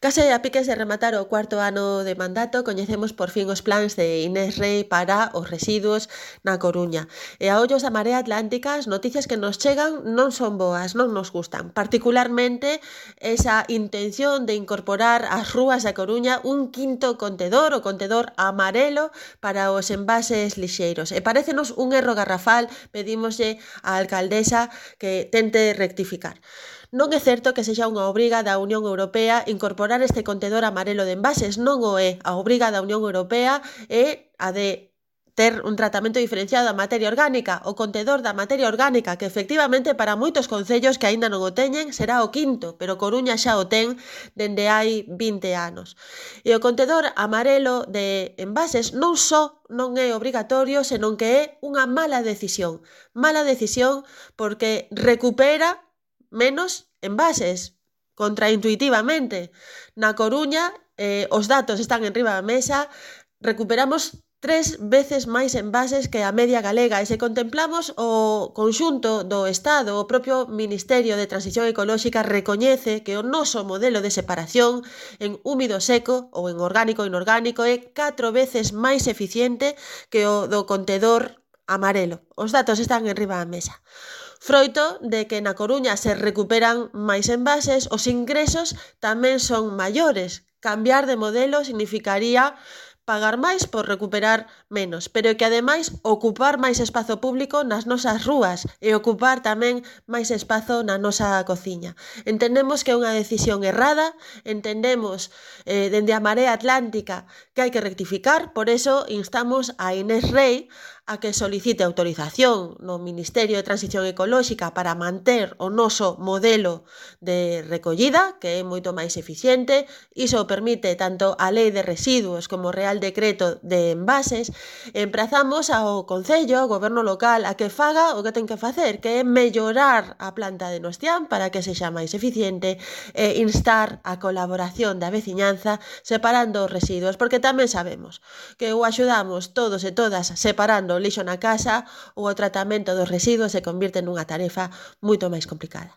Case a piques de rematar o cuarto ano de mandato, coñecemos por fin os plans de Inés Rei para os residuos na Coruña. E a ollos da Marea Atlántica, as noticias que nos chegan non son boas, non nos gustan. Particularmente esa intención de incorporar ás rúas da Coruña un quinto contedor, o contedor amarelo, para os envases lixeiros. E parécenos un erro garrafal, pedímoslle á alcaldesa que tente rectificar. Non é certo que sexa unha obriga da Unión Europea incorporar este contedor amarelo de envases, non o é. A obriga da Unión Europea é a de ter un tratamento diferenciado da materia orgánica, o contedor da materia orgánica, que efectivamente para moitos concellos que aínda non o teñen será o quinto, pero Coruña xa o ten dende hai 20 anos. E o contedor amarelo de envases non só non é obrigatorio, senón que é unha mala decisión. Mala decisión porque recupera menos envases, contraintuitivamente. Na Coruña, os datos están enriba da mesa, recuperamos 3 veces máis envases que a media galega e se contemplamos o conxunto do Estado, o propio Ministerio de Transición Ecolóxica recoñece que o noso modelo de separación en húmido seco ou en orgánico e inorgánico é 4 veces máis eficiente que o do contedor amarelo. Os datos están enriba da mesa. Froito de que na Coruña se recuperan máis envases, os ingresos tamén son maiores. Cambiar de modelo significaría pagar máis por recuperar menos, pero que ademais ocupar máis espazo público nas nosas rúas e ocupar tamén máis espazo na nosa cociña. Entendemos que é unha decisión errada, entendemos dende a Marea Atlántica que hai que rectificar, por eso instamos a Inés Rei a que solicite autorización no Ministerio de Transición Ecolóxica para manter o noso modelo de recollida, que é moito máis eficiente. Iso permite tanto a Lei de Residuos como o Real Decreto de Envases. Emprazamos ao Concello, ao Goberno local, a que faga o que ten que facer, que é mellorar a planta de Nostián para que sexa máis eficiente e instar a colaboración da veciñanza separando os residuos, porque tamén sabemos que o axudamos todos e todas separando o lixo na casa ou o tratamento dos residuos se convirte nunha tarefa moito máis complicada.